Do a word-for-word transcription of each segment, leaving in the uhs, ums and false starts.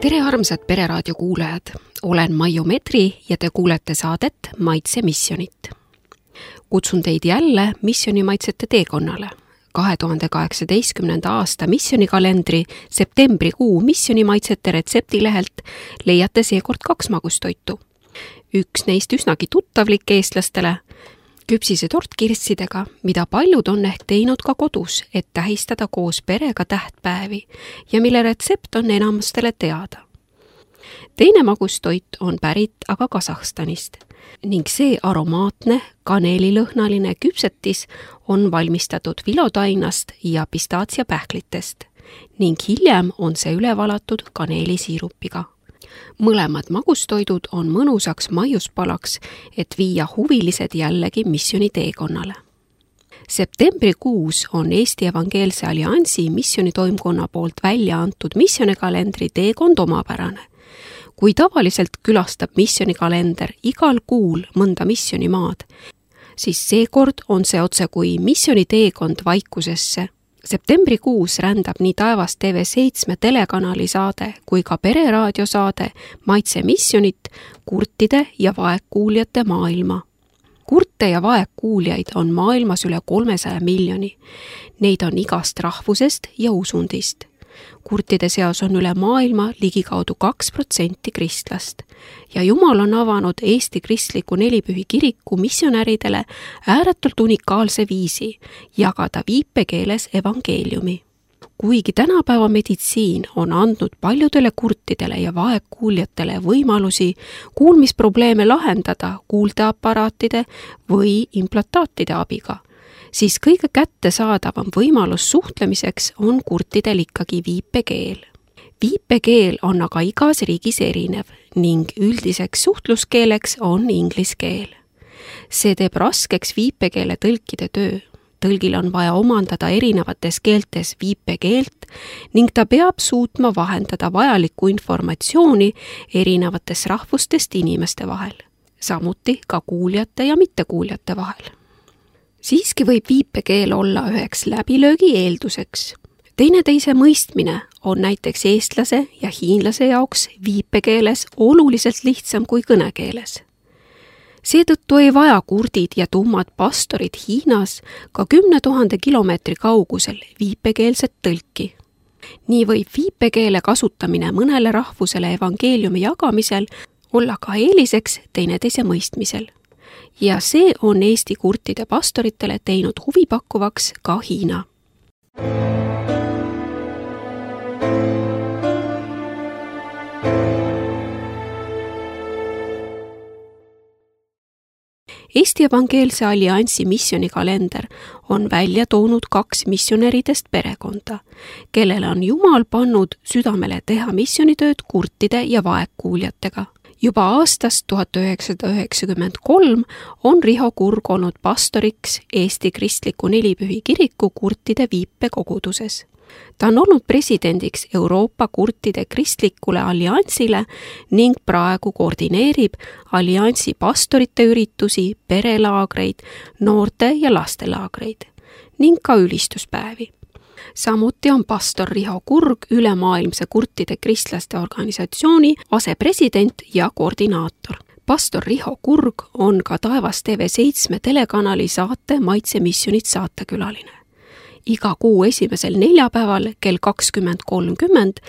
Tere armsad Pereraadio kuulajad, olen Maiu Medri ja te kuulete saadet Maitse missionit. Kutsun teid jälle missionimaitsete teekonnale. kahe tuhande kaheksateistkümnenda aasta missionikalendri septembrikuu missionimaitsete retseptilehelt leiate seekord kaks magustoitu. Üks neist üsnagi tuttavlik eestlastele, küpsise tort kirssidega, mida paljud on ehk teinud ka kodus, et tähistada koos perega tähtpäevi ja mille retsept on enamastele teada. Teine magustoit on pärit aga Kasahstanist ning see aromaatne kaneelilõhnaline küpsetis on valmistatud vilotainast ja pistaatsiapähklitest ning hiljem on see üle valatud kaneelisiirupiga. Mõlemad magustoidud on mõnusaks maiuspalaks, et viia huvilised jällegi missioni teekonnale. Septembrikuus on Eesti Evangeelse Alliansi missionitoimkonna poolt välja antud missionikalendri teekond omapärane. Kui tavaliselt külastab missionikalender igal kuul mõnda missionimaad, siis seekord on see otse kui missioniteekond vaikusesse. Septembrikuus rändab nii Taevas T V seitse telekanali saade kui ka Pereraadio saade Maitse missionit kurtide ja vaegkuuljate maailma. Kurte ja vaegkuuljaid on maailmas üle kolmesaja miljoni. Neid on igast rahvusest ja usundist. Kurtide seas on üle maailma ligikaudu kaks protsenti kristlast ja Jumal on avanud Eesti kristliku nelipühi kiriku missionäridele ääretult unikaalse viisi jagada viipekeeles evangeeliumi. Kuigi tänapäeva meditsiin on andnud paljudele kurtidele ja vaegkuuljatele võimalusi kuulmisprobleeme lahendada kuuldeaparaatide või implantaatide abiga, siis kõige kättesaadavam võimalus suhtlemiseks on kurtidel ikkagi viipekeel. Viipekeel on aga igas riigis erinev ning üldiseks suhtluskeeleks on inglise keel. See teeb raskeks viipekeele tõlkide töö. Tõlgil on vaja omandada erinevates keeltes viipekeelt ning ta peab suutma vahendada vajalikku informatsiooni erinevatest rahvustest inimeste vahel, samuti ka kuuljate ja mittekuuljate vahel. Siiski võib viipekeel olla üheks läbilöögi eelduseks. Teineteise mõistmine on näiteks eestlase ja hiinlase jaoks viipekeeles oluliselt lihtsam kui kõnekeeles. Seetõttu ei vaja kurdid ja tummad pastorid Hiinas ka kümne tuhande kilomeetri kaugusel viipekeelset tõlki. Nii võib viipekeele kasutamine mõnele rahvusele evangeeliumi jagamisel olla ka eeliseks teineteise mõistmisel. Ja see on Eesti kurtide pastoritele teinud huvipakkuvaks ka Hiina. Eesti Evangeelse Alliansi missionikalender on välja toonud kaks missionäridest perekonda, kellele on Jumal pannud südamele teha missionitööd kurtide ja vaegkuuljatega. Juba aastast tuhat üheksasada üheksakümmend kolm on Riho Kurg olnud pastoriks Eesti kristliku nelipühi kiriku kurtide viipekoguduses. Ta on olnud presidendiks Euroopa kurtide kristlikule alliansile ning praegu koordineerib alliansi pastorite üritusi, perelaagreid, noorte- ja lastelaagreid ning ka ülistuspäevi. Samuti on pastor Riho Kurg ülemaailmse kurtide kristlaste organisatsiooni asepresident ja koordinaator. Pastor Riho Kurg on ka Taevas T V seitse telekanali saate Maitse missionit saatekülaline. Iga kuu esimesel neljapäeval kell kakskümmend kolmkümmend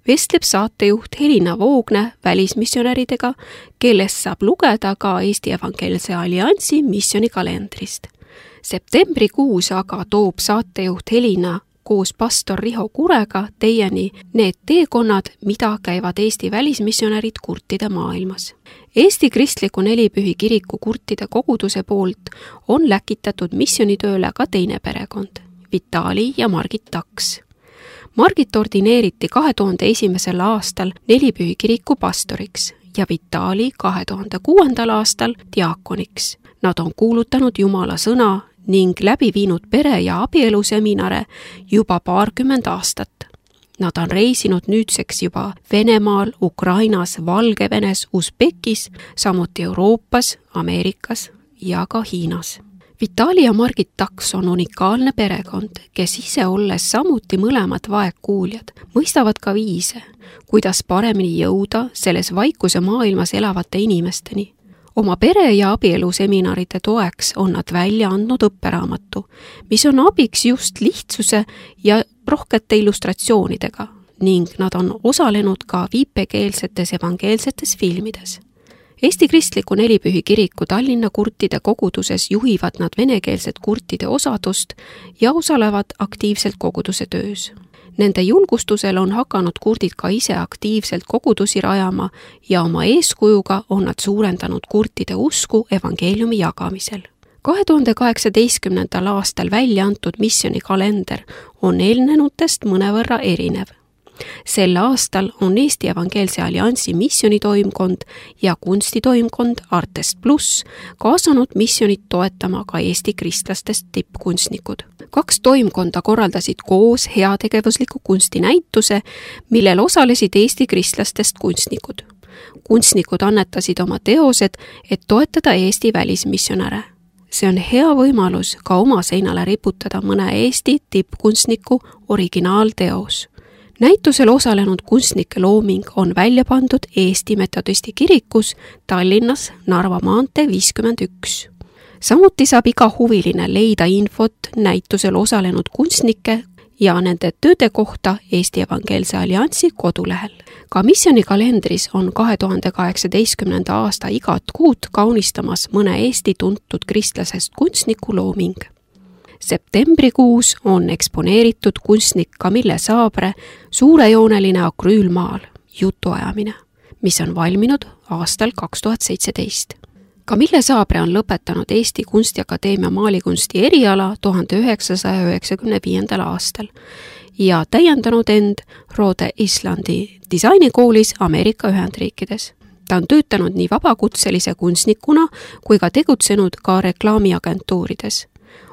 vestleb saatejuht Helina Voogne välismissionäridega, kellest saab lugeda ka Eesti Evangeelse Alliansi missionikalendrist. Septembrikuus aga toob saatejuht Helina koos pastor Riho Kurega teieni need teekonnad, mida käivad Eesti välismissionärid kurtide maailmas. Eesti kristliku nelipühi kiriku kurtide koguduse poolt on läkitatud missionitööle ka teine perekond, Vitali ja Margit Taks. Margit ordineeriti kahe tuhande esimesel aastal nelipühi kiriku pastoriks ja Vitali kahe tuhande kuuendal aastal diaakoniks. Nad on kuulutanud Jumala sõna ning läbi viinud pere- ja abieluseminare juba paarkümmend aastat. Nad on reisinud nüüdseks juba Venemaal, Ukrainas, Valgevenes, Usbekis, samuti Euroopas, Ameerikas ja ka Hiinas. Vitali ja Margit Taks on unikaalne perekond, kes ise olles samuti mõlemad vaegkuuljad, mõistavad ka viise, kuidas paremini jõuda selles vaikuse maailmas elavate inimesteni. Oma pere- ja abieluseminaride toeks on nad välja andnud õpperaamatu, mis on abiks just lihtsuse ja rohkete illustratsioonidega ning nad on osalenud ka viipekeelsetes evangeelsetes filmides. Eesti Kristliku Nelipühi Kiriku Tallinna kurtide koguduses juhivad nad venekeelset kurtide osadust ja osalevad aktiivselt koguduse töös. Nende julgustusel on hakanud kurdid ka ise aktiivselt kogudusi rajama ja oma eeskujuga on nad suurendanud kurtide usku evangeeliumi jagamisel. kahe tuhande kaheksateistkümnendal aastal välja antud missionikalender on eelnenutest mõnevõrra erinev. Sel aastal on Eesti Evangeelse Alliansi missionitoimkond ja kunstitoimkond Artest Plus kaasanud missionit toetama ka Eesti kristlastest tippkunstnikud. Kaks toimkonda korraldasid koos heategevusliku kunstinäituse, millel osalesid Eesti kristlastest kunstnikud. Kunstnikud annetasid oma teosed, et toetada Eesti välismissionäre. See on hea võimalus ka oma seinale riputada mõne Eesti tippkunstniku originaalteos. Näitusel osalenud kunstnike looming on välja pandud Eesti Metodisti kirikus Tallinnas Narva maantee viiskümmend üks. Samuti saab iga huviline leida infot näitusel osalenud kunstnike ja nende tööde kohta Eesti Evangeelse Alliansi kodulehel. Ka missionikalendris on kahe tuhande kaheksateistkümnenda aasta igat kuud kaunistamas mõne Eesti tuntud kristlasest kunstniku looming. Septembrikuus on eksponeeritud kunstnik Camille Saabre suurejooneline akrüülmaal Jutuajamine, mis on valminud aastal kaks tuhat seitseteist. Camille Saabre on lõpetanud Eesti Kunstiakadeemia maalikunsti eriala tuhande üheksasaja üheksakümne viiendal aastal ja täiendanud end Rhode Islandi disainikoolis Ameerika Ühendriikides. Ta on töötanud nii vabakutselise kunstnikuna kui ka tegutsenud ka reklaamiagentuurides.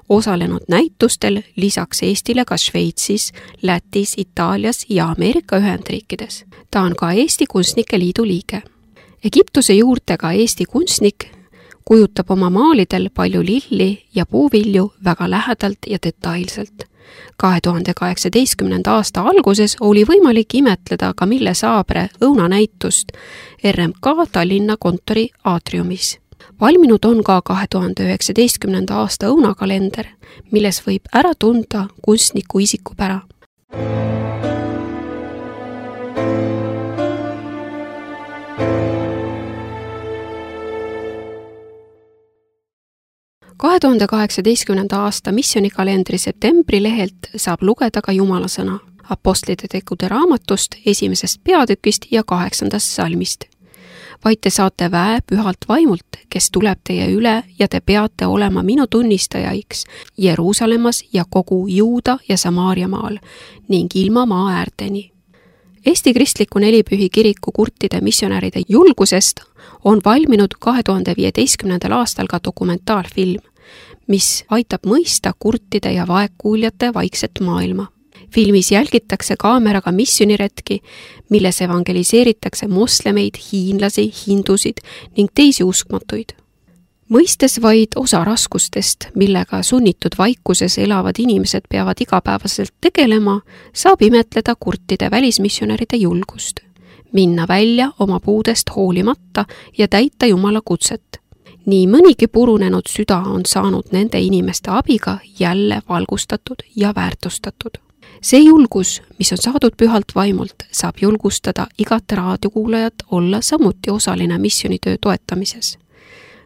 Osalenud näitustel lisaks Eestile ka Šveitsis, Lätis, Itaalias ja Ameerika Ühendriikides. Ta on ka Eesti Kunstnike Liidu liige. Egiptuse juurtega Eesti kunstnik kujutab oma maalidel palju lilli ja puuvilju väga lähedalt ja detailselt. kahe tuhande kaheksateistkümnenda aasta alguses oli võimalik imetleda Camille Saabre õunanäitust R M K Tallinna kontori aatriumis. Valminud on ka kahe tuhande üheksateistkümnenda aasta õunakalender, milles võib ära tunda kunstniku isikupära. kahe tuhande kaheksateistkümnenda aasta missionikalendri septembri lehelt saab lugeda ka Jumala sõna Apostlite tegude raamatust esimesest peatükist ja kaheksandast salmist. Vaid te saate väe pühalt vaimult, kes tuleb teie üle ja te peate olema minu tunnistajaiks Jeruusalemmas ja kogu Juuda ja Samaaria maal ning ilma maa äärteni. Eesti Kristliku Nelipühi Kiriku kurtide missionäride julgusest on valminud kahe tuhande viieteistkümnendal aastal ka dokumentaalfilm, mis aitab mõista kurtide ja vaegkuuljate vaikset maailma. Filmis jälgitakse kaameraga missioniretki, milles evangeliseeritakse moslemeid, hiinlasi, hindusid ning teisi uskmatuid. Mõistes vaid osa raskustest, millega sunnitud vaikuses elavad inimesed peavad igapäevaselt tegelema, saab imetleda kurtide välismissionäride julgust. Minna välja oma puudest hoolimata ja täita Jumala kutset. Nii mõnigi purunenud süda on saanud nende inimeste abiga jälle valgustatud ja väärtustatud. See julgus, mis on saadud pühalt vaimult, saab julgustada igat raadiokuulajat olla samuti osaline missionitöö toetamises.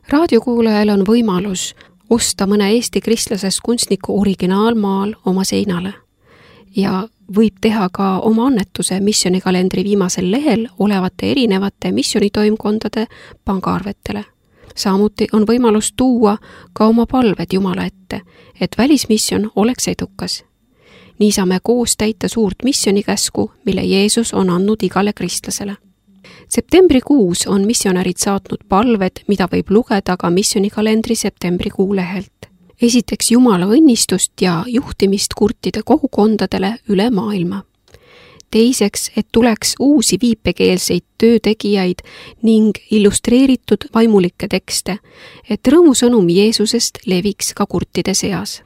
Raadiokuulajal on võimalus osta mõne Eesti kristlasest kunstniku originaalmaal oma seinale ja võib teha ka oma annetuse missionikalendri viimasel lehel olevate erinevate missionitoimkondade pangaarvetele. Samuti on võimalus tuua ka oma palved Jumala ette, et välismission oleks edukas. Nii saame koos täita suurt missionikäsku, mille Jeesus on andnud igale kristlasele. Septembrikuus on missionärid saatnud palved, mida võib lugeda ka missionikalendri septembrikuu lehelt. Esiteks Jumala õnnistust ja juhtimist kurtide kogukondadele üle maailma. teiseks, et tuleks uusi viipekeelseid töötegijaid ning illustreeritud vaimulikke tekste, et rõõmusõnum Jeesusest leviks ka kurtide seas.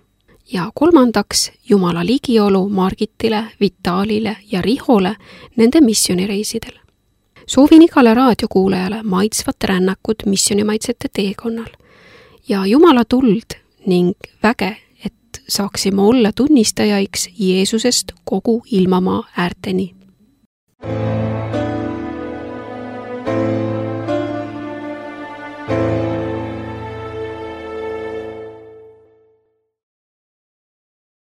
Ja kolmandaks, Jumala ligiolu Margitile, Vitalile ja Rihole nende missionireisidel. Soovin igale raadiokuulajale maitsvat rännakut missionimaitsete teekonnal ja Jumala tuld ning väge, et saaksime olla tunnistajaiks Jeesusest kogu ilmamaa äärteni.